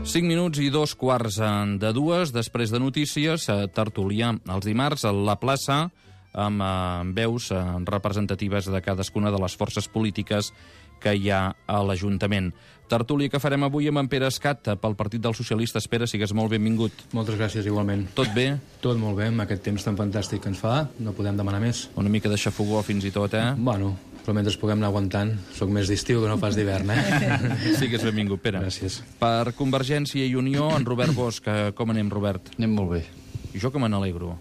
5 minuts i 2:15 després de notícies, tertúlia els dimarts a la plaça amb veus representatives de cadascuna de les forces polítiques que hi ha a l'Ajuntament. Tertúlia que farem avui amb en Pere Escat pel Partit dels Socialistes. Pere, sigues molt benvingut. Moltes gràcies, igualment. Tot bé? Tot molt bé, amb aquest temps tan fantàstic que ens fa, no podem demanar més. Una mica de xafogó fins i tot, eh? Bueno, però mentre puguem anar aguantant, soc més d'estiu que no pas d'hivern, eh? Sigues benvingut, Pere. Gràcies. Per Convergència i Unió, en Robert Bosch. Com anem, Robert? Anem molt bé. I jo que me n'alegro.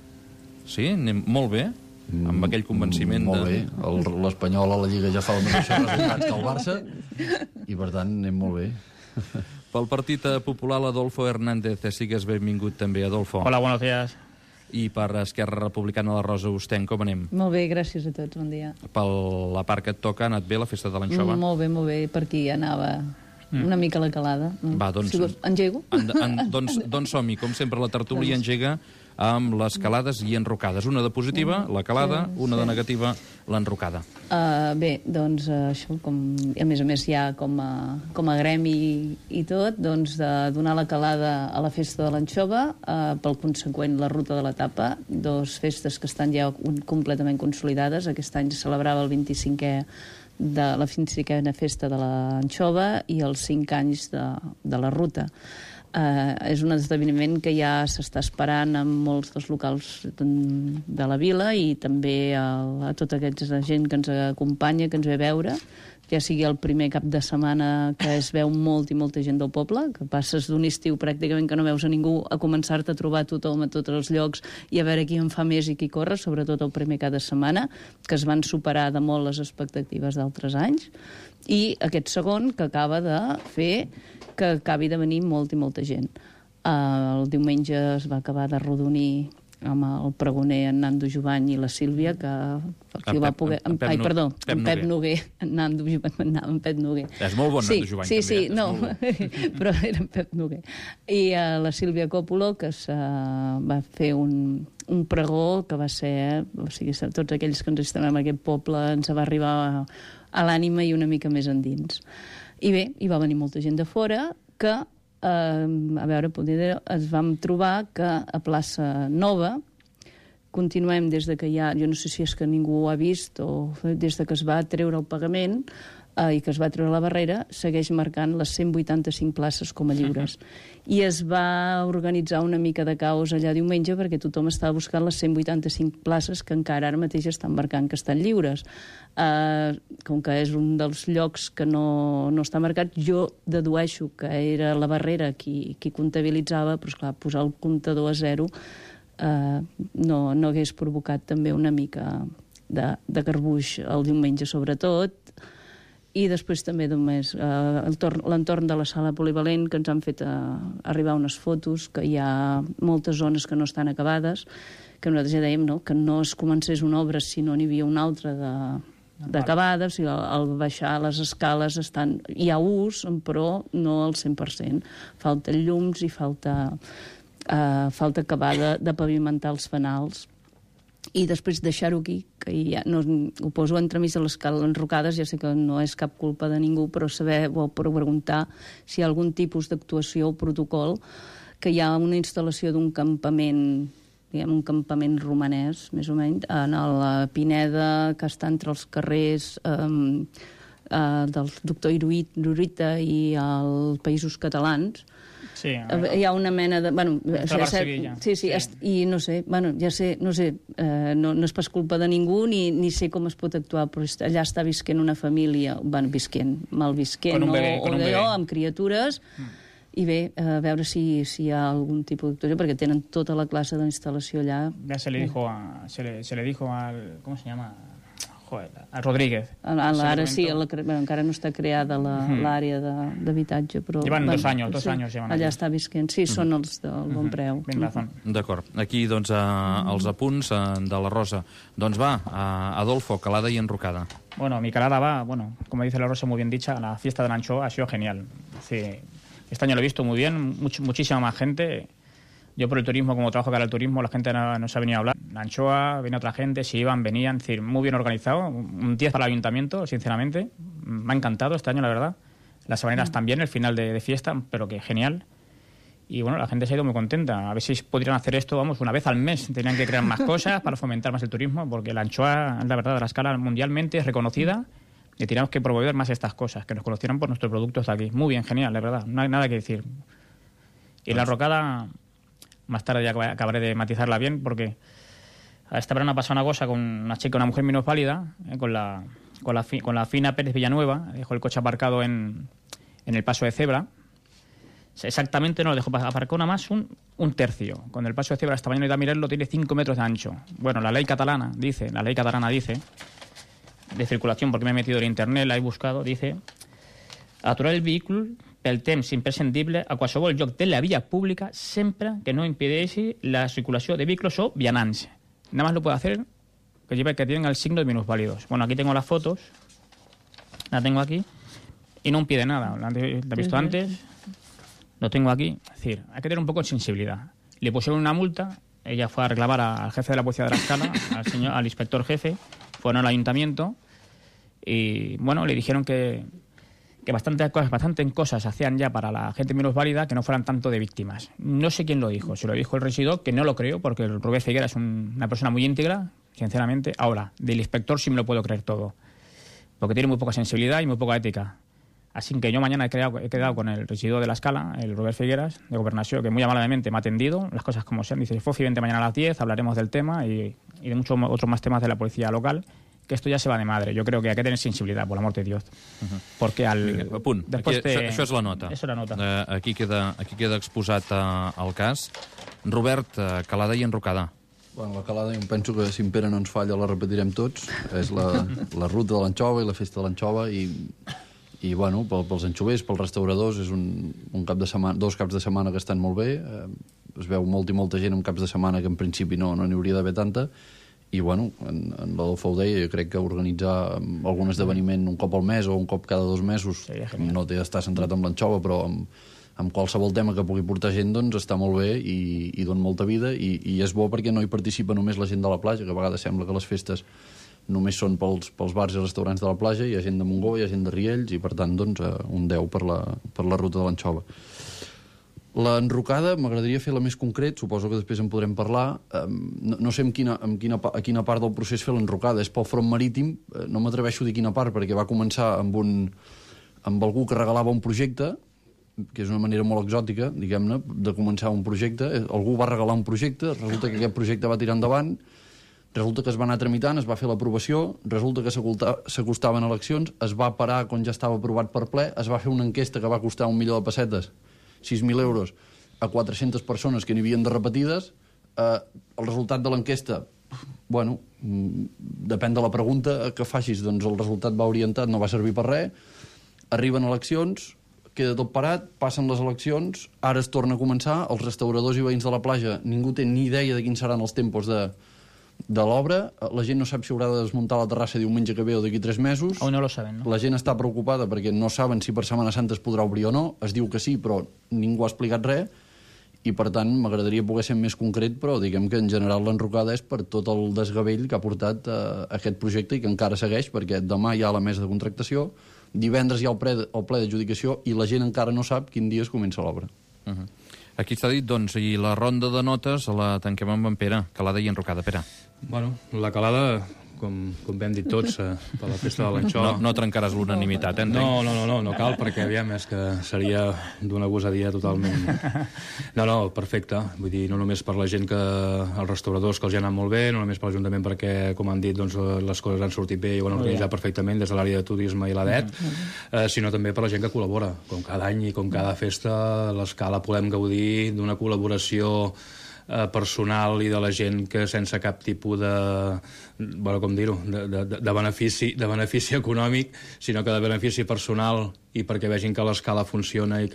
Sí? Anem molt bé? Amb aquell convenciment molt bé. L'Espanyol a la Lliga ja fa els mateixos resultats que el Barça i per tant anem molt bé. Pel Partit Popular, Adolfo Hernández. Sigues benvingut també, Adolfo. Hola, buenos días. I per Esquerra Republicana, la Rosa Ostenc. Com anem? Molt bé, gràcies a tots, bon dia. Per la part que et toca, ha anat bé la festa de l'anxova? Molt bé, per aquí anava una mica la calada. Va, doncs... Si vols, engego? Doncs som-hi, com sempre, la tertúlia engega amb les calades i enrocades. Una de positiva, la calada, una de negativa, l'enrocada. Bé, doncs això, a més ja com a gremi i tot, doncs de donar la calada a la festa de l'anxova, pel conseqüent la ruta de la tapa, dos festes que estan ja completament consolidades. Aquest any celebrava el 25è de la 25a festa de l'anxova i els 5 anys de la ruta. És un esdeveniment que ja s'està esperant en molts dels locals de la vila i també a tota aquesta gent que ens acompanya, que ens ve a veure, ja sigui el primer cap de setmana que es veu molt i molta gent del poble, que passes d'un estiu pràcticament que no veus a ningú a començar-te a trobar tothom a tots els llocs i a veure qui en fa més i qui corre, sobretot el primer cap de setmana, que es van superar de molt les expectatives d'altres anys, i aquest segon que acaba de fer que acabi de venir molt i molta gent. El diumenge es va acabar de rodonir amb el pregoner en Nando Jovany i la Sílvia, que ho va poder... En Pep Noguer. En Pep Noguer. És molt bon, Nando Jovany, també. Sí, no, però era en Pep Noguer. I la Sílvia Còpolo, que va fer un pregó que va ser... O sigui, tots aquells que ens estem en aquest poble ens va arribar a l'ànima i una mica més endins. I bé, hi va venir molta gent de fora que, a veure, ens vam trobar que a Plaça Nova continuem des de que hi ha, jo no sé si és que ningú ho ha vist o des de que es va treure el pagament i que es va treure la barrera, segueix marcant les 185 places com a lliures. I es va organitzar una mica de caos allà diumenge perquè tothom estava buscant les 185 places que encara ara mateix estan marcant que estan lliures. Com que és un dels llocs que no està marcat, jo dedueixo que era la barrera qui comptabilitzava, però esclar, posar el comptador a 0 no hagués provocat també una mica de garbuix el diumenge sobretot. I després també només l'entorn de la sala polivalent, que ens han fet arribar unes fotos, que hi ha moltes zones que no estan acabades, que nosaltres ja dèiem que no es comencés una obra si no n'hi havia una altra d'acabada. O sigui, al baixar les escales hi ha ús, però no al 100%. Falten llums i falta acabar de pavimentar els fanals. I després deixar-ho aquí, que ja ho poso entremig de les enrocades, ja sé que no és cap culpa de ningú, però saber o preguntar si hi ha algun tipus d'actuació o protocol, que hi ha una instal·lació d'un campament, diguem, un campament romanès, més o menys, en la Pineda, que està entre els carrers del doctor Irurita i els Països Catalans. Sí, hi ha una mena de... Bueno, sí, i no sé, no és pas culpa de ningú ni sé com es pot actuar, però allà està visquent una família, malvisquent amb criatures, i bé, a veure si hi ha algun tipus d'actuació, perquè tenen tota la classe d'instal·lació allà. Ja se le dijo al... ¿Cómo se llama? Joder, a Rodríguez. Ara sí, encara no està creada l'àrea d'habitatge, però... Llevan 2 años. Allà està visquent. Sí, són els del bon preu. Ben razón. D'acord. Aquí, doncs, els apunts de la Rosa. Doncs va, Adolfo, calada y enrocada. Bueno, mi calada va, como dice la Rosa, muy bien dicha, la fiesta de la anchoa ha sido genial. Sí, este año lo he visto muy bien, muchísima más gente. Yo por el turismo, como trabajo cara al turismo, la gente no se ha venido a hablar. La anchoa, viene otra gente, si iban, venían, es decir, muy bien organizado. Un 10 para el ayuntamiento, sinceramente. Me ha encantado este año, la verdad. Las habaneras también, el final de fiesta, pero que genial. Y bueno, la gente se ha ido muy contenta. A ver si podrían hacer esto, vamos, una vez al mes. Tenían que crear más cosas para fomentar más el turismo, porque la anchoa, la verdad, a la escala mundialmente es reconocida y teníamos que promover más estas cosas, que nos conocieran por nuestros productos de aquí. Muy bien, genial, de verdad, no hay nada que decir. Y la rocada, más tarde ya acabaré de matizarla bien, porque esta verano ha pasado una cosa con una chica, una mujer minusválida, con la Fina Pérez Villanueva, dejó el coche aparcado en el paso de cebra. Exactamente no lo dejó, aparcó nada más un tercio. Con el paso de cebra esta mañana he ido a mirarlo, tiene 5 metros de ancho. Bueno, la ley catalana dice, de circulación, porque me he metido en internet, la he buscado, dice: aturar el vehículo pel temps imprescindible a qualsevol lloc de la vía pública sempre que no impedeixi la circulación de vehículos o vianants. Nada más lo puede hacer que tienen el signo de minusválidos. Bueno, aquí tengo las fotos, la tengo aquí, y no impide nada. ¿La he visto antes? Lo tengo aquí. Es decir, hay que tener un poco de sensibilidad. Le pusieron una multa, ella fue a reclamar al jefe de la policía de la escala, al inspector jefe, fueron al ayuntamiento y, bueno, le dijeron que bastantes cosas hacían ya para la gente minusválida que no fueran tanto de víctimas. No sé quién lo dijo, se lo dijo el regidor, que no lo creo, porque el Robert Figuera es una persona muy íntegra, sinceramente. Ahora, del inspector sí me lo puedo creer todo, porque tiene muy poca sensibilidad y muy poca ética. Así que yo mañana he quedado con el regidor de la escala, el Robert Figueras, de Gobernación, que muy amablemente me ha atendido, las cosas como sean. Dice: Fofi, vente mañana a las 10, hablaremos del tema y de muchos otros más temas de la policía local, que esto ja se va de madre. Jo crec que hay que tener sensibilitat, por l'amor de Dios. Perquè Vinga, punt. Aquí, això és la nota. És la nota. Aquí queda exposat el cas. Robert, calada i enrocada. Bueno, la calada, jo penso que si en Pere no ens falla la repetirem tots. És la ruta de l'anxova i la festa de l'anxova i bueno, pels anxovers, pels restauradors, és un cap de setmana, 2 caps de setmana que estan molt bé. Es veu molta i molta gent en caps de setmana que en principi no n'hi hauria d'haver tanta. I bueno, en l'Adolfo ho deia, jo crec que organitzar algun esdeveniment un cop al mes o un cop cada 2 mesos, no té d'estar centrat en l'anxova, però amb qualsevol tema que pugui portar gent, doncs està molt bé i dona molta vida i és bo perquè no hi participa només la gent de la platja, que a vegades sembla que les festes només són pels bars i restaurants de la platja, hi ha gent de Montgó, hi ha gent de Riells i per tant doncs un 10 per la ruta de l'anxova. L'enrocada m'agradaria fer-la més concret, suposo que després en podrem parlar. No sé a quina part del procés fer l'enrocada, és pel front marítim, no m'atreveixo a dir quina part perquè va començar amb algú que regalava un projecte, que és una manera molt exòtica, diguem-ne, de començar un projecte. Algú va regalar un projecte, resulta que aquest projecte va tirar endavant, resulta que es va anar tramitant, es va fer l'aprovació, resulta que s'acostaven eleccions, es va parar quan ja estava aprovat per ple, es va fer una enquesta que va costar 1 milió de pessetes, 6.000 euros, a 400 persones que n'hi havien de repetides. El resultat de l'enquesta, bueno, depèn de la pregunta que facis, doncs el resultat va orientat, no va servir per res. Arriben eleccions, queda tot parat, passen les eleccions, ara es torna a començar, els restauradors i veïns de la platja, ningú té ni idea de quins seran els tempos de l'obra, la gent no sap si haurà de desmuntar la terrassa diumenge que ve o d'aquí 3 mesos. Aún no lo saben, ¿no? La gent està preocupada perquè no saben si per Setmana Santa es podrà obrir o no, es diu que sí, però ningú ha explicat res, i per tant m'agradaria poder ser més concret, però diguem que en general l'enrocada és per tot el desgavell que ha portat aquest projecte i que encara segueix, perquè demà hi ha la mesa de contractació, divendres hi ha el ple d'adjudicació i la gent encara no sap quin dia es comença l'obra. Aquí està dit, doncs, i la ronda de notes la tanquem amb en Pere, calada i enrocada. Pere. Bueno, la calada, com vam dir tots, per la festa de l'anxova... No trencaràs l'unanimitat, entenc? No cal, perquè aviam, és que seria d'una gosadia totalment. No, perfecte. Vull dir, no només per la gent els restauradors, que els hi ha anat molt bé, no només per l'Ajuntament, perquè, com han dit, doncs, les coses han sortit bé i ho han organitzat perfectament des de l'àrea de turisme i l'ADET, sinó també per la gent que col·labora. Com cada any i com cada festa, l'escala podem gaudir d'una col·laboració personal i de la gent que sense cap tipus de, bueno, com dir-ho, de benefici econòmic, sinó que de benefici personal i perquè vegin que l'escala funciona i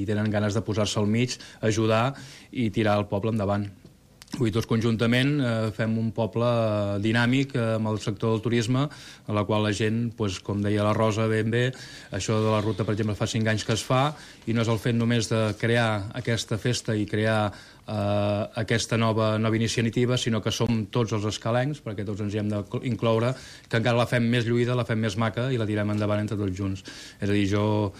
tenen ganes de posar-se al mig, ajudar i tirar el poble endavant. Avui tots conjuntament fem un poble dinàmic amb el sector del turisme, a la qual la gent, com deia la Rosa ben bé, això de la ruta, per exemple, fa 5 anys que es fa, i no és el fet només de crear aquesta festa i crear aquesta nova iniciativa, sinó que som tots els escalencs, perquè tots ens hi hem d'incloure, que encara la fem més lluïda, la fem més maca i la tirem endavant entre tots junts. És a dir, jo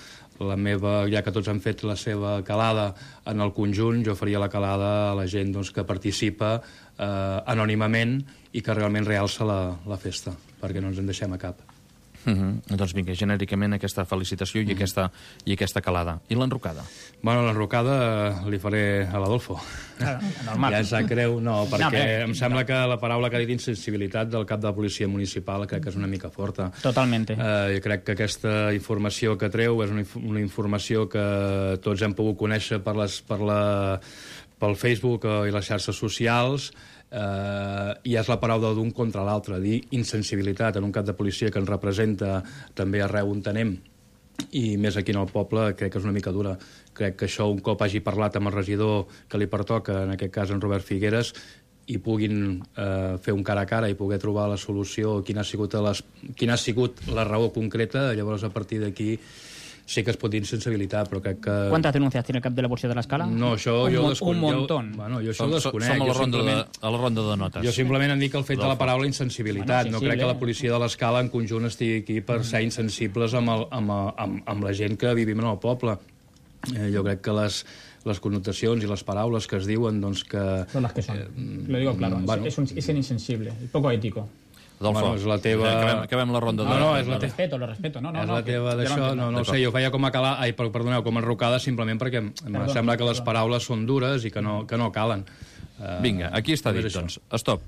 ja que tots han fet la seva calada en el conjunt, jo faria la calada a la gent doncs, que participa anònimament i que realment realça la festa, perquè no ens en deixem a cap. Doncs vinga, genèricament aquesta felicitació i aquesta calada. I l'enrocada? Bueno, l'enrocada li faré a l'Adolfo. Normal. Ja sap greu, no, perquè em sembla que la paraula que ha dit insensibilitat del cap de la policia municipal crec que és una mica forta. Totalmente. Jo crec que aquesta informació que treu és una informació que tots hem pogut conèixer pel Facebook i les xarxes socials, i és la paraula d'un contra l'altre, dir insensibilitat en un cap de policia que ens representa també arreu on anem, i més aquí en el poble, crec que és una mica dura. Crec que això, un cop hagi parlat amb el regidor que li pertoca, en aquest cas en Robert Figueres, i puguin fer un cara a cara i poder trobar la solució, quina ha sigut la raó concreta, llavors a partir d'aquí sí que es pot dir insensibilitat, però crec que... ¿Cuántas denuncias tiene el cap de la policía de la Escala? No, això jo ho desconec. Un montón. Bueno, jo això ho desconec. Som a la ronda de notes. Jo simplement em dic el fet de la paraula insensibilitat. No crec que la policia de l'Escala en conjunt estigui aquí per ser insensibles amb la gent que vivim en el poble. Jo crec que les connotacions i les paraules que es diuen, doncs que... Son las que son. Lo digo claro. Es insensible y poco ético. Adolfo, és la teva... acabem la ronda de... No, és la Lo respeto. No, és la teva d'això, no ho sé, jo feia com a com a enrocada simplement perquè em sembla que les paraules són dures i que no calen. Vinga, aquí està dit, doncs. Stop.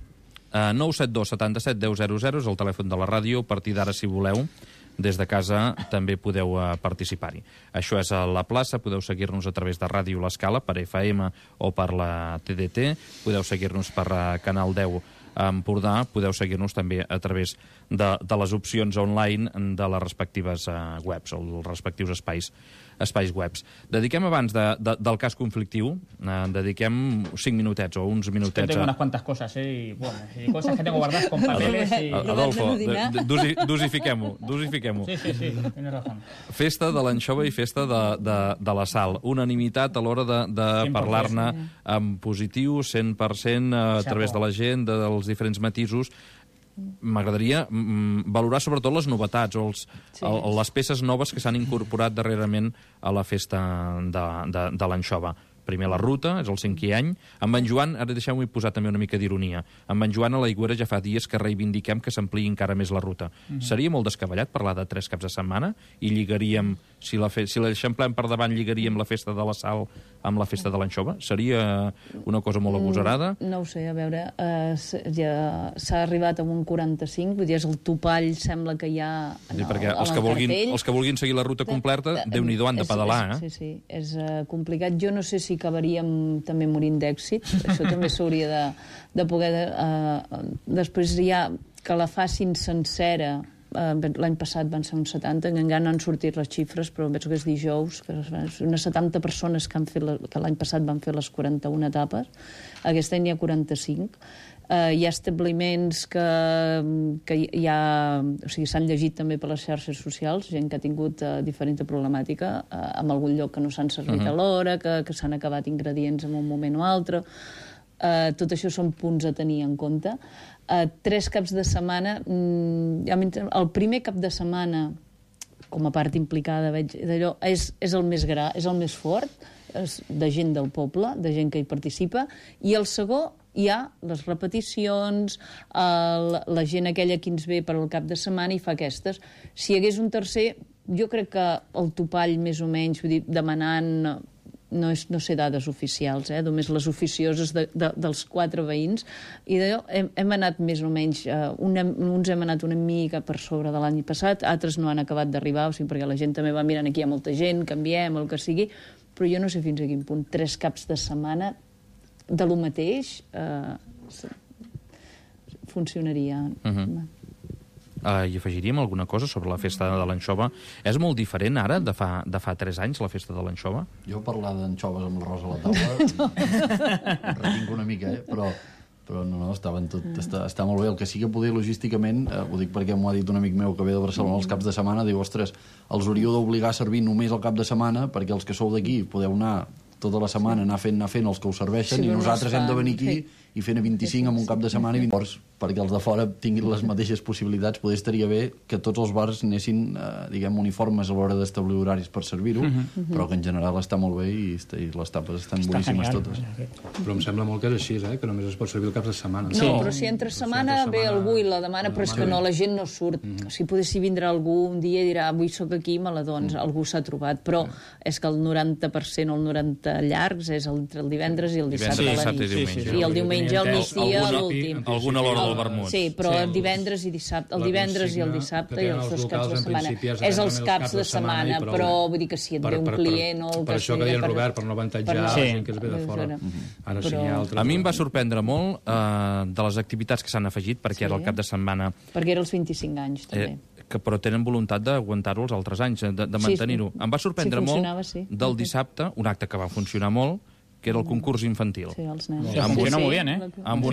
972 77 10 00 és el telèfon de la ràdio. A partir d'ara, si voleu, des de casa també podeu participar-hi. Això és a la plaça, podeu seguir-nos a través de Ràdio L'Escala, per FM o per la TDT, podeu seguir-nos per Canal 10 a Empordà, podeu seguir-nos també a través de les opcions online de les respectives webs, o els respectius espais webs. Dediquem abans del cas conflictiu, dediquem 5 minutets o uns minutets... Es que tengo unas cuantas cosas, y cosas que tengo guardadas con papeles y... Adolfo, dosifiquem-ho. Sí, tienes razón. Festa de l'anxova i festa de la sal. Unanimitat a l'hora de parlar-ne en positiu, 100%, a través de la gent, dels diferents matisos. M'agradaria valorar sobretot les novetats o les peces noves que s'han incorporat darrerament a la festa de l'anxova. Primer la ruta, és el 5è any. Amb en Joan, ara deixeu-m'hi posar també una mica d'ironia, amb en Joan a l'Aigüera ja fa dies que reivindiquem que s'ampliï encara més la ruta. Seria molt descabellat parlar de 3 caps de setmana i lligaríem, si l'eixamplem per davant, lligaríem la festa de la sal amb la festa de l'anxova? Seria una cosa molt agosarada? No ho sé, a veure, ja s'ha arribat a un 45, vull dir, és el topall, sembla que hi ha en el perquè els que vulguin seguir la ruta completa, Déu-n'hi-do, han de pedalar, eh? Sí, és complicat. Jo no sé si acabaríem també morint d'èxit, això també s'hauria de poder... Després ja que la facin sencera, l'any passat van ser uns 70, encara no han sortit les xifres, però penso que és dijous, que unes 70 persones que l'any passat van fer les 41 etapes, aquest any hi ha 45. Hi ha establiments que ja... O sigui, s'han llegit també per les xarxes socials, gent que ha tingut diferent problemàtica, en algun lloc que no s'han servit a l'hora, que s'han acabat ingredients en un moment o altre. Tot això són punts a tenir en compte. 3 caps de setmana... El primer cap de setmana, com a part implicada, veig d'allò, és el més és el més fort, de gent del poble, de gent que hi participa, i el segon hi ha les repeticions, la gent aquella que ens ve per al cap de setmana i fa aquestes. Si hi hagués un tercer, jo crec que el topall més o menys, vull dir, demanant... No sé dades oficials, només les oficioses dels 4 veïns, i d'allò hem anat més o menys, uns hem anat una mica per sobre de l'any passat, altres no han acabat d'arribar, o sigui, perquè la gent també va mirant, aquí hi ha molta gent, canviem, el que sigui, però jo no sé fins a quin punt 3 caps de setmana de lo mateix funcionaria. I afegiríem alguna cosa sobre la festa de l'anxova. És molt diferent ara de fa 3 anys, la festa de l'anxova? Jo parlar d'anxoves amb l'arròs a la taula retinc una mica, però no, està molt bé. El que sí que poder logísticament, ho dic perquè m'ho ha dit un amic meu que ve de Barcelona els caps de setmana, diu, ostres, els hauríeu d'obligar a servir només el cap de setmana perquè els que sou d'aquí podeu anar tota la setmana anar fent els que us serveixen, i nosaltres hem de venir aquí i fent a 25 en un cap de setmana, i llavors perquè els de fora tinguin les mateixes possibilitats, potser estaria bé que tots els bars anessin, diguem, uniformes a l'hora d'establir horaris per servir-ho, però que en general està molt bé i les tapes estan boníssimes totes. Però em sembla molt que és així, que només es pot servir el cap de setmana. No, però si entre setmana ve algú i la demana, però és que no, la gent no surt. Si potessi vindre algú un dia i dirà avui sóc aquí, doncs algú s'ha trobat, però és que el 90% o el 90% llargs és entre el divendres i el dissabte a la nit. I el diumenge al migdia a l'últim. Alguna a l'hora del vermut. Sí, però el divendres i dissabte, el divendres i el dissabte i els dos caps de setmana. És els caps de setmana, però vull dir que si et ve un client o el que sigui... Per això que deien Robert, per no avantatjar la gent que es ve de fora. Ara sí, a mi em va sorprendre molt de les activitats que s'han afegit, perquè era el cap de setmana... Perquè era els 25 anys, també. Però tenen voluntat d'aguantar-ho els altres anys, de mantenir-ho. Em va sorprendre molt del dissabte, un acte que va funcionar molt, que era el concurs infantil. Sí, els nens. Funciona molt bé, Amb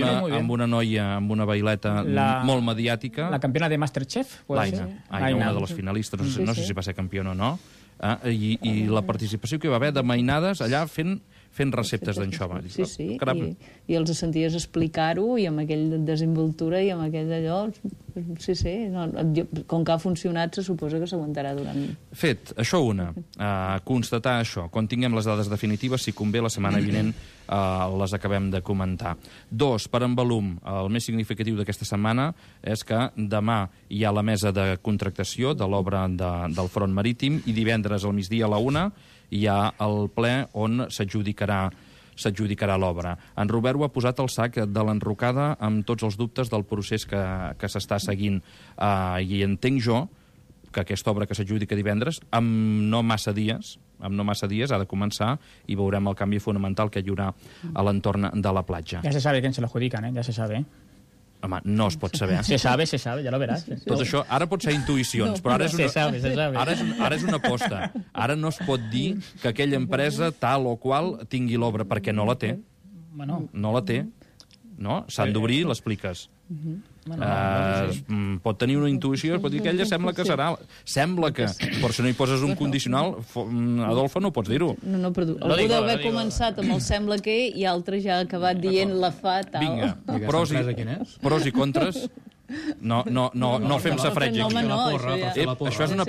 una noia, amb una baileta molt mediàtica. La campiona de Masterchef, Aina, una de les finalistes, no sé si va ser campiona o no, i la participació que hi va haver de mainades allà fent receptes d'anxova. Sí, i els senties explicar-ho i amb aquell desenvoltura i amb aquell d'allò... Sí, com que ha funcionat, se suposa que s'aguantarà durant... Fet, això una, constatar això. Quan tinguem les dades definitives, si convé, la setmana vinent les acabem de comentar. 2, per en volum, el més significatiu d'aquesta setmana és que demà hi ha la mesa de contractació de l'obra del front marítim i divendres al migdia a la 1 hi ha el ple on s'adjudicarà l'obra. En Robert ho ha posat al sac de l'enrocada amb tots els dubtes del procés que s'està seguint. I entenc jo que aquesta obra que s'adjudica divendres, amb no massa dies ha de començar i veurem el canvi fonamental que hi haurà a l'entorn de la platja. Ja se sabe quién se lo adjudican, ya se sabe. Home, no es pot saber. Se sabe, ya lo verás. Tot això, ara pot ser intuïcions, però ara és una... Ara és una aposta. Ara no es pot dir que aquella empresa tal o qual tingui l'obra, perquè no la té. No la té. No? S'han d'obrir, l'expliques. Pot tenir una intuïció, pot dir que ella sembla que serà... Sembla que... Però si no hi poses un condicional, Adolfo, no pots dir-ho. No, però algú deu haver començat amb el sembla que i altre ja ha acabat dient la fa tal. Vinga, pros i contres... No fem safratge aquí. Això és una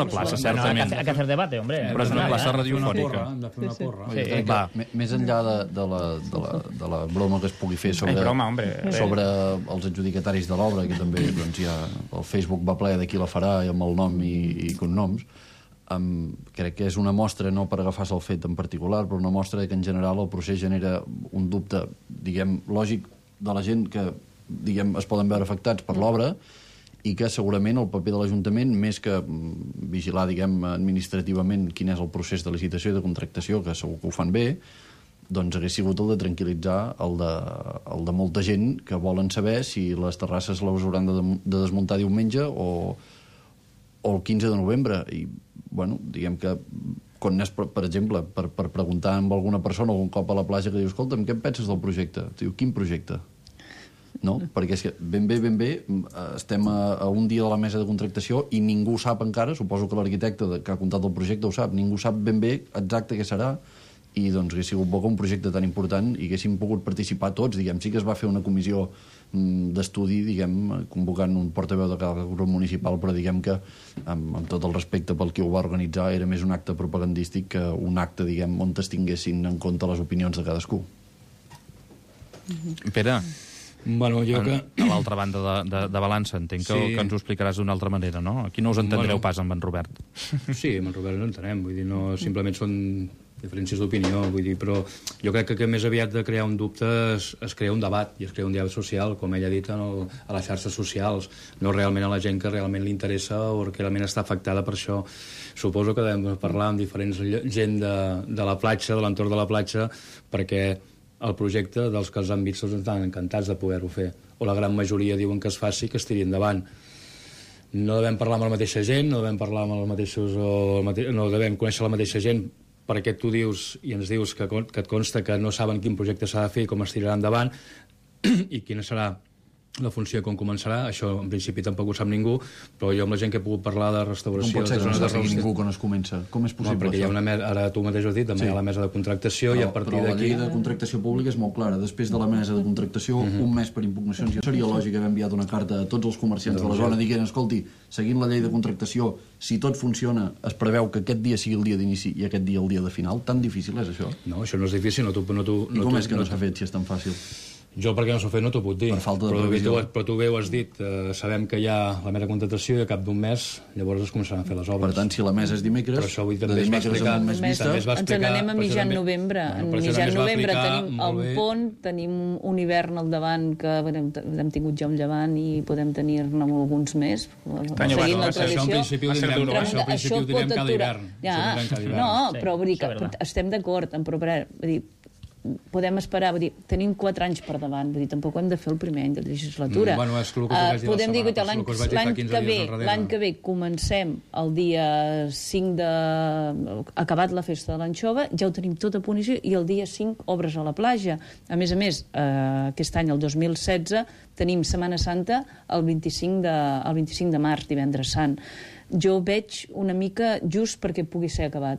plaça, certament. Hay que hacer debate, hombre. Però és una plaça radiofònica. Hem de fer una porra. Més enllà de la broma que es pugui fer sobre els adjudicataris de l'obra, que també ja el Facebook va ple de qui la farà amb el nom i cognoms, crec que és una mostra, no per agafar-se el fet en particular, però una mostra que en general el procés genera un dubte, diguem, lògic de la gent que es poden veure afectats per l'obra i que segurament el paper de l'Ajuntament, més que vigilar, administrativament quin és el procés de licitació i de contractació, que segur que ho fan bé, doncs hagués sigut el de tranquil·litzar el de molta gent que volen saber si les terrasses les hauran de desmuntar diumenge o el 15 de novembre. I, diguem que quan anés, per exemple, per preguntar amb alguna persona algun cop a la platja que diu, escolta'm, què en penses del projecte? Diu, quin projecte? No? Perquè és que ben bé estem a un dia de la mesa de contractació i ningú sap encara, suposo que l'arquitecte que ha comptat el projecte ho sap, ningú sap ben bé exacte què serà i doncs hagués sigut bo que un projecte tan important i haguéssim pogut participar tots, sí que es va fer una comissió d'estudi, convocant un portaveu de cada grup municipal, però que amb tot el respecte pel qui ho va organitzar era més un acte propagandístic que un acte, on es tinguessin en compte les opinions de cadascú. Pere, jo que... a l'altra banda de balança, entenc que ens ho explicaràs d'una altra manera, no? Aquí no us entendreu pas amb en Robert. Sí, amb en Robert no entenem, no simplement són diferències d'opinió, però jo crec que més aviat de crear un dubte es crea un debat, i es crea un diàleg social, com ell ha dit, a les xarxes socials, no realment a la gent que realment li interessa o que realment està afectada per això. Suposo que devem parlar amb diferents gent de la platja, de l'entorn de la platja, perquè el projecte dels que els han vist estan encantats de poder-ho fer, o la gran majoria diuen que es faci, que es tiri endavant. No devem parlar amb la mateixa gent, no devem parlar amb els mateixos, no devem conèixer la mateixa gent, perquè tu dius i ens dius que et consta que no saben quin projecte s'ha de fer i com es tirarà endavant i quina serà la funció com començarà, això en principi tampoc ho sap ningú, però jo amb la gent que he pogut parlar de restauració... Com pot ser que no de sàpiga ningú quan es comença? Com és possible, perquè hi ha una mesa, ara tu mateix ho has dit, també hi ha la mesa de contractació i a partir d'aquí... Però la llei de contractació pública és molt clara. Després de la mesa de contractació, un mes per impugnacions. Seria lògic haver enviat una carta a tots els comerciants de la zona dient, escolti, seguint la llei de contractació, si tot funciona, es preveu que aquest dia sigui el dia d'inici i aquest dia el dia de final. Tan difícil és això? No, això no és difícil. I com és que no s'ha fet si és tan fàcil? Jo perquè no s'ho fet no t'ho puc dir, per falta de previsió. Però tu bé ho has dit, sabem que hi ha la mera contractació i a cap d'un mes llavors es començaran a fer les obres. Per tant, si la mesa és dimecres, de dimecres a un mes vista... Ens n'anem a mitjan novembre. En mitjan novembre tenim el pont, tenim un hivern al davant que hem tingut ja un llevant i podem tenir-ne alguns més, seguint la tradició. Això ho direm cada hivern. No, però vull dir que estem d'acord, però podem esperar, tenim 4 anys per davant, tampoc hem de fer el primer any de legislatura. Podem dir que l'any que ve comencem el dia 5 de... acabat la festa de l'anxova, ja ho tenim tot a punt i el dia 5 obres a la platja. A més, aquest any, el 2016, tenim Setmana Santa el 25 de març, divendres sant. Jo veig una mica just perquè pugui ser acabat.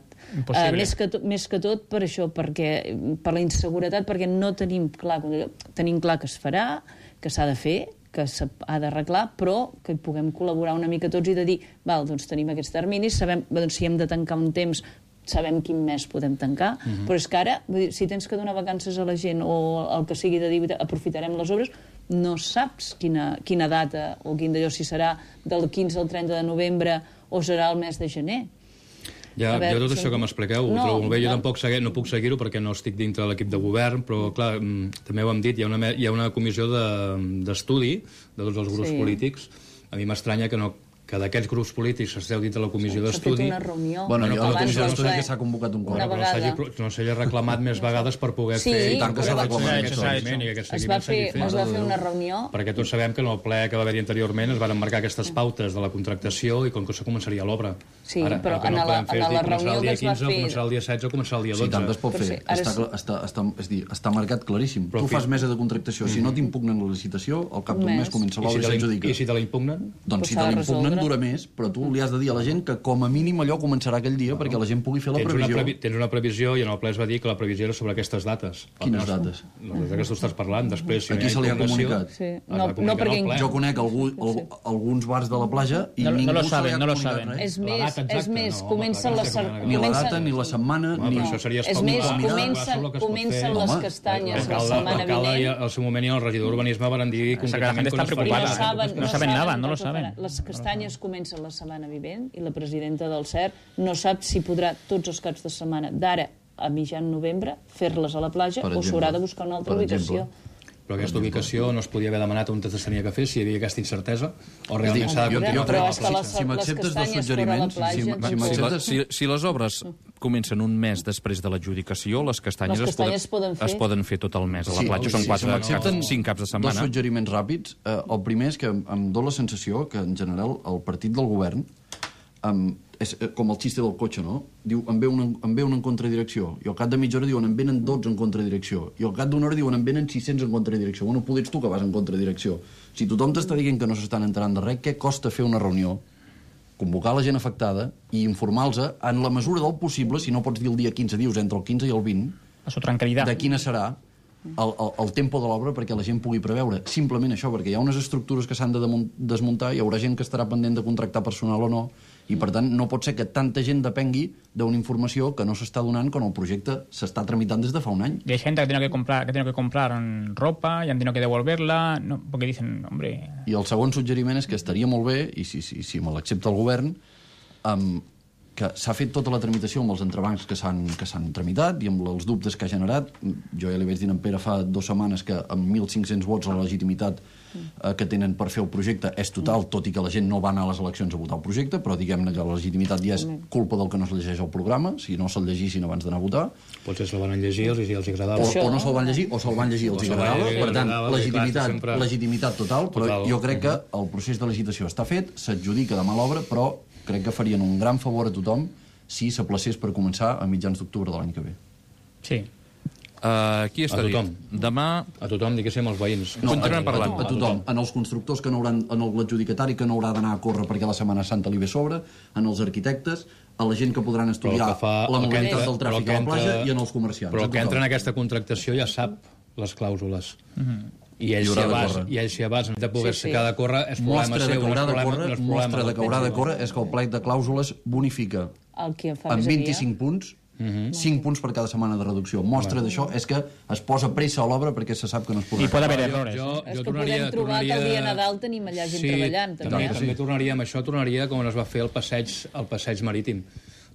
Més que tot per això, per la inseguretat, perquè no tenim clar que es farà, que s'ha de fer, que s'ha d'arreglar, però que hi puguem col·laborar una mica tots i de dir, doncs tenim aquests terminis, sabem si hem de tancar un temps, sabem quin mes podem tancar, però és que ara, si tens que donar vacances a la gent o el que sigui de dir aprofitarem les obres, no saps quina data o quin d'allò, si serà del 15 al 30 de novembre o serà el mes de gener. Ja, tot això que m'expliqueu ho trobo molt bé. Jo tampoc no puc seguir-ho perquè no estic dintre de l'equip de govern, però clar, també ho hem dit, hi ha una comissió d'estudi de tots els grups polítics. A mi m'estranya que d'aquests grups polítics esteu dit a la comissió d'estudi... S'ha fet una reunió. Bueno, hi ha una comissió d'estudi que s'ha convocat un cop. No s'hagi reclamat més vegades per poder fer... Sí, tant que s'ha reclamat. Es va fer una reunió... Perquè tots sabem que en el ple que va haver-hi anteriorment es van marcar aquestes pautes de la contractació i com que això començaria l'obra. Sí, però en la reunió que es va fer... Començar el dia 16 o començar el dia 12. Sí, tant es pot fer. Està marcat claríssim. Tu fas mesa de contractació. Si no t'impugnen la licitació, al cap d'un mes comença l'obra i s'adjudica. I si te la impugnen? Doncs si te la impugnen dura més, però tu li has de dir a la gent que com a mínim allò començarà aquell dia perquè la gent pugui fer la previsió. Tens una previsió i en el ple es va dir que la previsió era sobre aquestes dates. Quines dates? Les que tu estàs parlant. Després, a qui se li ha comunicat? No, perquè jo conec alguns bars de la platja i ningú se li ha comunicat res. És més, comencen les... Ni la data, ni la setmana, ni... És més, comencen les castanyes la setmana vinent. Al seu moment i el regidor d'Urbanisme van dir concretament que no saben nada, no lo saben. Les castanyes comencen la setmana vinent i la presidenta del CERT no sap si podrà tots els caps de setmana d'ara a mitjan novembre fer-les a la platja o s'haurà de buscar una altra ubicació. Però aquesta ubicació no es podia haver demanat on es tenia que fer si hi havia aquesta incertesa o realment s'ha de continuar. Si m'acceptes dos suggeriments... Si les obres comencen un mes després de l'adjudicació, les castanyes es poden fer tot el mes a la platja. Són 5 caps de setmana. Dos suggeriments ràpids. El primer és que em dóna la sensació que, en general, el partit del govern és com el xiste del cotxe, no? Diu, en ve un en contradirecció, i al cap de mitja hora diuen en venen 12 en contradirecció, i al cap d'una hora diuen en venen 600 en contradirecció. Bueno, poder ets tu que vas en contradirecció. Si tothom t'està dient que no s'estan enterant de res, què costa fer una reunió, convocar la gent afectada i informar-los en la mesura del possible, si no pots dir el dia 15, dius entre el 15 i el 20, de quina serà el tempo de l'obra perquè la gent pugui preveure. Simplement això, perquè hi ha unes estructures que s'han de desmuntar, hi haurà gent que estarà pendent de contractar personal o no, i per tant no pot ser que tanta gent depengui d'una informació que no s'està donant quan el projecte s'està tramitant des de fa un any. Y hay gente que tiene que comprar ropa y han tenido que devolverla, no, porque dicen, hombre... I el segon suggeriment és que estaria molt bé, i si me l'accepta el govern, que s'ha fet tota la tramitació amb els entrebancs que s'han tramitat i amb els dubtes que ha generat. Jo ja li vaig dir a en Pere fa 2 setmanes que amb 1.500 vots la legitimitat que tenen per fer el projecte és total, tot i que la gent no va anar a les eleccions a votar el projecte, però diguem-ne que la legitimitat ja és culpa del que no es llegeix el programa, si no se'l llegissin abans d'anar a votar. Potser se'l van llegir i els agradava. O no se'l van llegir, o se'l van llegir i els agradava. Per tant, legitimitat total, però jo crec que el procés de licitació està fet, s'adjudica demà l'obra, però crec que farien un gran favor a tothom si s'aplacés per començar a mitjans d'octubre de l'any que ve. Sí. Qui està dit? Demà... A tothom, diguéssim, als veïns. Continuem parlant. A tothom. En els constructors que no hauran... En l'adjudicatari que no haurà d'anar a córrer perquè la Setmana Santa li ve sobre, en els arquitectes, a la gent que podran estudiar la mobilitat del tràfic a la platja i en els comerciants. Però el que entra en aquesta contractació ja sap les clàusules. I ells si abans de poder ficar de córrer és problema seu. Mostra de que haurà de córrer és que el plec de clàusules bonifica amb 25 punts 5 punts per cada setmana de reducció. Mostra d'això és que es posa pressa a l'obra perquè se sap que no es podrà. I pot haver errores. És que podem trobar que el dia de Nadal tenim allà gent treballant. També tornaria amb això, tornaria com es va fer el passeig marítim.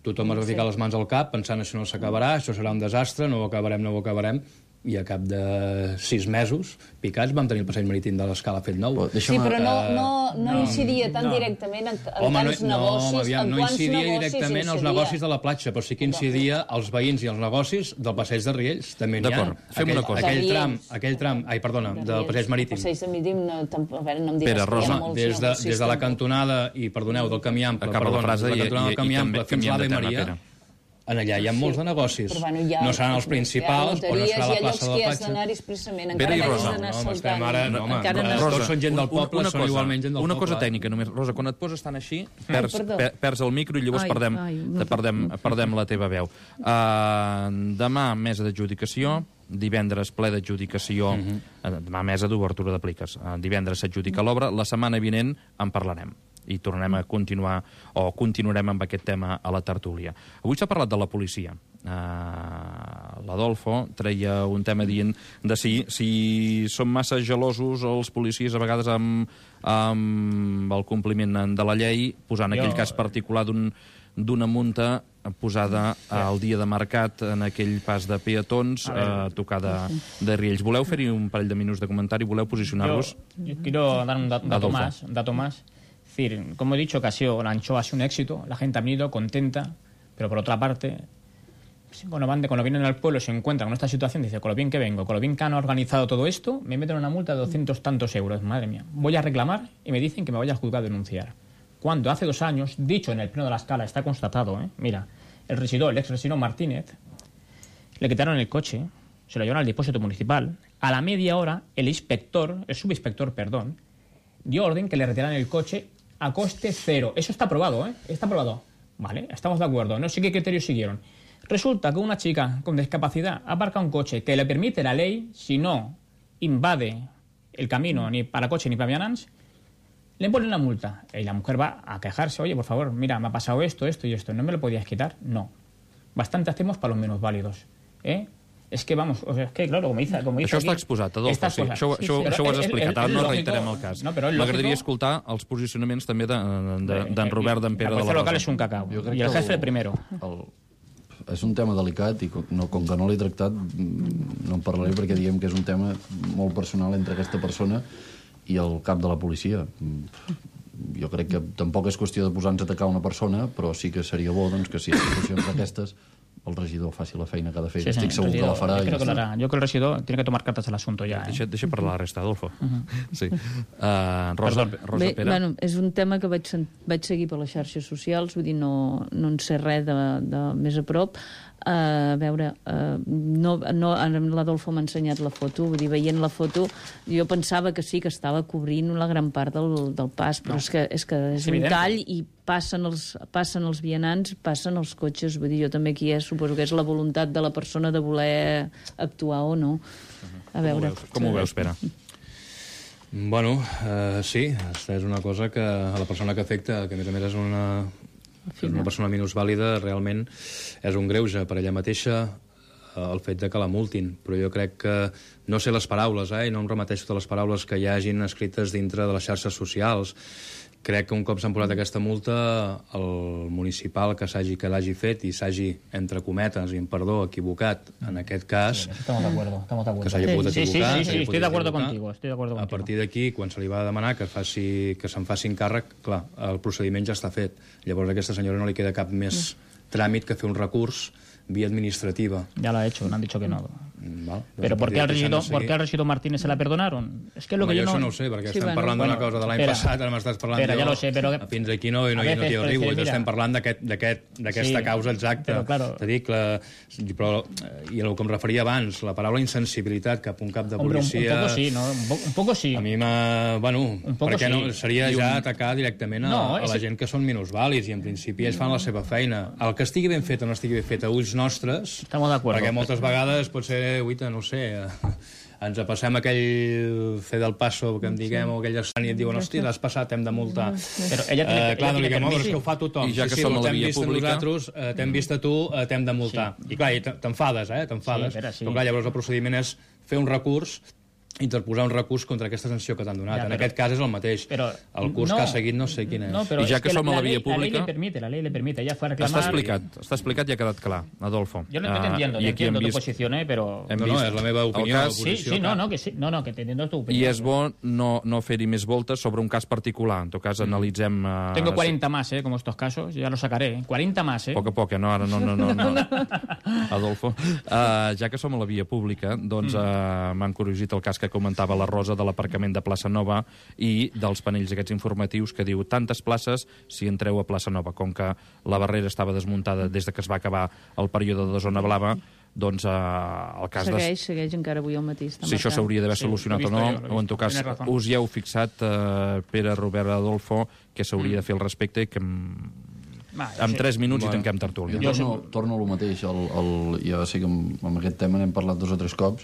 Tothom es va ficar les mans al cap pensant això no s'acabarà, això serà un desastre, no ho acabarem, i a cap de 6 mesos picats vam tenir el passeig marítim de l'Escala fet nou. Sí, però no incidia tan directament en tants negocis. No incidia directament als negocis de la platja, però sí que incidia als veïns i als negocis del passeig de Riells. També n'hi ha. D'acord, fem una cosa. Aquell tram, del passeig marítim. El passeig de marítim, a veure, no em diràs Pere, Rosa, des de la cantonada, i perdoneu, del camí ample, acaba la frase i fins l'Ave Maria. En allà hi ha molts de negocis. No seran els principals, o no serà la plaça de la platja. Pere i Rosa. Tots són gent del poble, són igualment gent del poble. Una cosa tècnica només. Rosa, quan et poses tan així, perds el micro i llavors perdem la teva veu. Demà, mesa d'adjudicació, divendres ple d'adjudicació, demà mesa d'obertura de pliques. Divendres s'adjudica l'obra, la setmana vinent en parlarem i tornarem a continuar, o continuarem amb aquest tema a la tertúlia. Avui s'ha parlat de la policia. L'Adolfo treia un tema dient de si són massa gelosos els policies a vegades amb el compliment de la llei, posant aquell cas particular d'una multa posada al dia de mercat en aquell pas de peatons tocada de Riells. Voleu fer-hi un parell de minuts de comentari? Voleu posicionar-vos? Yo quiero dar un dato más. Es decir, como he dicho, que la anchoa ha sido un éxito, la gente ha venido contenta, pero por otra parte, cuando vienen al pueblo se encuentran con esta situación, dice, con lo bien que vengo, con lo bien que han organizado todo esto, me meten una multa de 200 tantos euros, madre mía. Voy a reclamar y me dicen que me vaya al juzgado a denunciar. Cuando hace 2 años, dicho en el pleno de la Escala, está constatado, mira, el ex regidor Martínez, le quitaron el coche, se lo llevaron al depósito municipal, a la media hora el subinspector, dio orden que le retiraran el coche a coste cero. Eso está aprobado, Está aprobado. Vale, estamos de acuerdo. No sé qué criterios siguieron. Resulta que una chica con discapacidad aparca un coche que le permite la ley, si no invade el camino ni para coche ni para vianants, le ponen una multa. Y la mujer va a quejarse, oye, por favor, mira, me ha pasado esto y esto. ¿No me lo podías quitar? No. Bastante hacemos para los menos válidos. És que, vamos, és que, claro, com dice això està exposat, Adolfo, sí. Això ho has explicat, ara no reiterem el cas. M'agradaria escoltar els posicionaments també d'en Robert, d'en Pere de la Rosa. El local és un cacau, i el jefe primero. És un tema delicat i com que no l'he tractat no en parlaré perquè diguem que és un tema molt personal entre aquesta persona i el cap de la policia. Jo crec que tampoc és qüestió de posar-nos a atacar una persona, però sí que seria bo doncs, que si hi ha situacions d'aquestes el regidor faci la feina que ha de fer. Estic segur que la farà. Yo creo que el regidor tiene que tomar cartas al asunto ya. Deixa parlar la resta, Adolfo. Sí. Rosa, Pere. Bueno, és un tema que vaig seguir per les xarxes socials, vull dir, no en sé res de més a prop. A veure, l'Adolfo m'ha ensenyat la foto, vull dir, veient la foto jo pensava que sí, que estava cobrint la gran part del pas, però és que és un tall i passen els vianants, passen els cotxes, vull dir, jo també aquí suposo que és la voluntat de la persona de voler actuar o no. A veure. Com ho veus, Pere? Bueno, sí, és una cosa que a la persona que afecta, que a més és una persona minusvàlida, realment és un greuge per ella mateixa el fet de que la multin, però jo crec que no sé les paraules, i no em remeteixo totes les paraules que hi hagin escrites dintre de les xarxes socials. Crec que un cop s'han posat aquesta multa, el municipal que l'hagi fet i s'hagi, entre cometes, i en perdó, equivocat, en aquest cas, estamos de acuerdo. Que s'hagi pogut equivocar. Sí, estoy de acuerdo contigo. A partir d'aquí, quan se li va demanar que se'n facin càrrec, clar, el procediment ja està fet. Llavors a aquesta senyora no li queda cap més tràmit que fer un recurs via administrativa. Ya lo ha hecho, no han dicho que no. Pero ¿por qué al regidor Martínez se la perdonaron? Es que lo que yo no ho sé, perquè Sí, estem bueno. parlant d'una cosa de l'any passat, ara m'estàs parlant Espera, ja lo sé, però... fins aquí no t'hi arribo, estem parlant d'aquesta causa exacta. Però, claro. T'he dit i el que em referia abans, la paraula insensibilitat cap a un cap de policia... Un poco sí, ¿no? Un poco sí. A mi perquè no, seria ja atacar directament a la gent que són minusvàlids i en principi ells fan la seva feina. El que estigui ben fet o no estigui ben fet a ulls nostres, perquè moltes vegades pot ser, no sé, ens passem aquell fer del passo que em diguem o aquell estan i et diuen, hòstia, l'has passat, hem de multar. Però ella clar, no li diguem, és que ho fa tothom. I ja que som a la via pública... T'hem vist a tu, t'hem de multar. I clar, t'enfades, t'enfades. Però clar, llavors el procediment és fer un recurs, interposar un recurs contra aquesta sanció que t'han donat. En aquest cas és el mateix. El curs que ha seguit no sé quin és. I ja que som a la via pública... La ley le permite. Ella fue a reclamar... Està explicat i ha quedat clar, Adolfo. Yo no te entiendo, entiendo tu posición, pero... No, és la meva opinió. Sí, que te entiendo tu opinión. I és bo no fer-hi més voltes sobre un cas particular. En tot cas, analitzem... Tengo 40 más, como estos casos, ya los sacaré. 40 más, Poc a poc, no, ara no. Adolfo. Ja que som a la via pública, doncs m'han corregit el cas que comentava la Rosa de l'aparcament de Plaça Nova i dels panells aquests informatius que diu tantes places si entreu a Plaça Nova. Com que la barrera estava desmuntada des de que es va acabar el període de zona blava, doncs el cas... Segueix encara avui el matí. Si això s'hauria d'haver solucionat o no, o en tot cas us hi heu fixat, Pere, Robert, Adolfo, que s'hauria de fer al respecte i que en 3 minuts i tanquem tertúlia. Jo torno a lo mateix. Ja sé que amb aquest tema n'hem parlat 2 o 3 cops.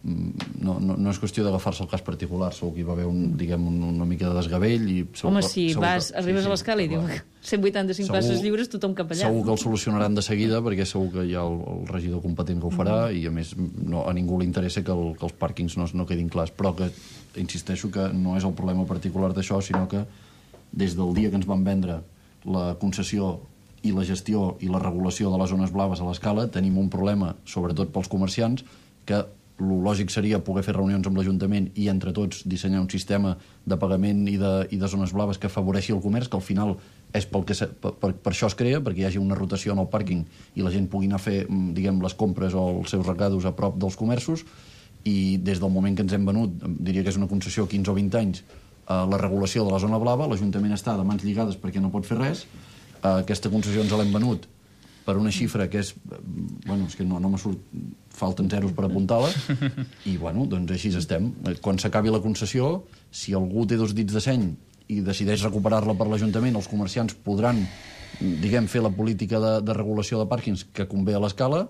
No és qüestió d'agafar-se el cas particular. Segur que hi va haver una mica de desgavell. Home, si arribes a l'escala i diu 185 places lliures, tothom cap allà. Segur que el solucionaran de seguida, perquè segur que hi ha el regidor competent que ho farà i, a més, a ningú li interessa que els pàrquings no quedin clars. Però que insisteixo que no és el problema particular d'això, sinó que des del dia que ens van vendre la concessió i la gestió i la regulació de les zones blaves a l'escala, tenim un problema, sobretot pels comerciants, que el lògic seria poder fer reunions amb l'Ajuntament i entre tots dissenyar un sistema de pagament i de zones blaves que afavoreixi el comerç, que al final és per això es crea, perquè hi hagi una rotació en el pàrquing i la gent pugui anar a fer, diguem, les compres o els seus recados a prop dels comerços. I des del moment que ens hem venut, diria que és una concessió 15 o 20 anys, la regulació de la zona blava, l'Ajuntament està de mans lligades perquè no pot fer res. Aquesta concessió ens l'hem venut per una xifra que és... és que no me surt... Falten zeros per apuntar-la. I, doncs així estem. Quan s'acabi la concessió, si algú té 2 dits de seny i decideix recuperar-la per l'Ajuntament, els comerciants podran, fer la política de regulació de pàrquings que convé a l'escala,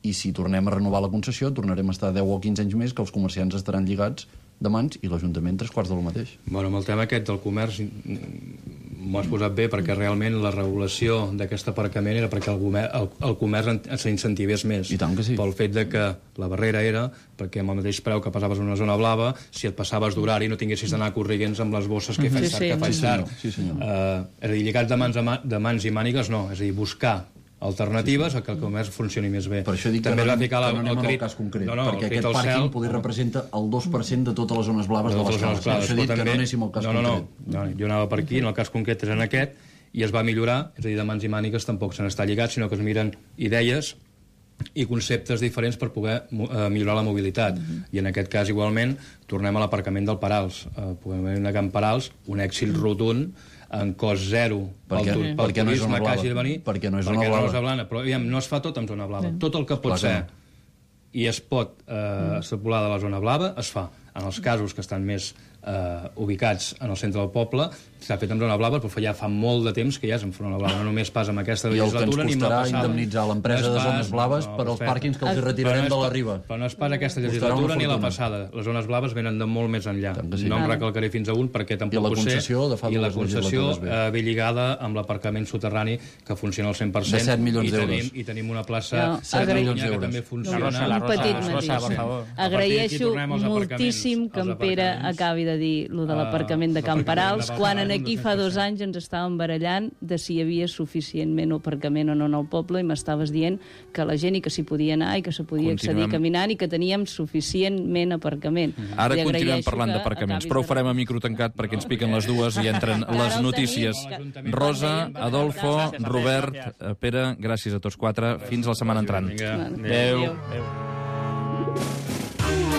i si tornem a renovar la concessió, tornarem a estar 10 o 15 anys més que els comerciants estaran lligats de mans i l'Ajuntament 3/4 del mateix. Amb el tema aquest del comerç m'ho has posat bé, perquè realment la regulació d'aquest aparcament era perquè el comerç s'incentivés més. I tant que sí. Pel fet de que la barrera era perquè amb el mateix preu que passaves en una zona blava, si et passaves d'horari no tinguessis d'anar corrents amb les bosses que faig tard. És a dir, lligats de mans i mànigues, no. És a dir, buscar alternatives a que el comerç funcioni més bé. Per això dic que no anem al cas concret, perquè aquest pàrquing poder representa el 2% de totes les zones blaves de l'escala. Per això dic que no anéssim al cas concret. No, jo anava per aquí, en el cas concret és en aquest, i es va millorar, és a dir, de mans i mànigues tampoc se n'està lligat, sinó que es miren idees i conceptes diferents per poder millorar la mobilitat. I en aquest cas, igualment, tornem a l'aparcament del Perals. Podem de Can Perals, un èxit rotund, en cost zero pel turisme que hagi de venir, perquè no és zona blava. Però no es fa tot en zona blava. Tot el que pot ser i es pot extrapolar de la zona blava es fa. En els casos que estan més ubicats en el centre del poble s'ha fet en zona blava, però ja fa molt de temps que ja és en zona blava, no només pas amb aquesta legislatura ni amb la passada. I el que ens costarà indemnitzar l'empresa de zones blaves per als pàrquings que els retirarem de la riba. Però no és pas aquesta legislatura ni la passada. Les zones blaves venen de molt més enllà. No em recalcaré fins a un perquè tampoc ho sé. I la concessió ve lligada amb l'aparcament soterrani que funciona al 100%. De 7 milions d'euros. I tenim una plaça a Catalunya que també funciona. Un petit matís. Agraeixo moltíssim que en Pere acabi de dir lo de l'aparcament de Can Perals, quan aquí fa 2 anys ens estàvem barallant de si hi havia suficientment aparcament o no en el poble i m'estaves dient que la gent i que s'hi podia anar i que se podia accedir caminant i que teníem suficientment aparcament. Ara continuem parlant d'aparcaments, però ho farem a micro tancat perquè ens piquen les dues i entren les notícies. Rosa, Adolfo, Robert, Pere, gràcies a tots 4. Fins la setmana entrant. Adéu.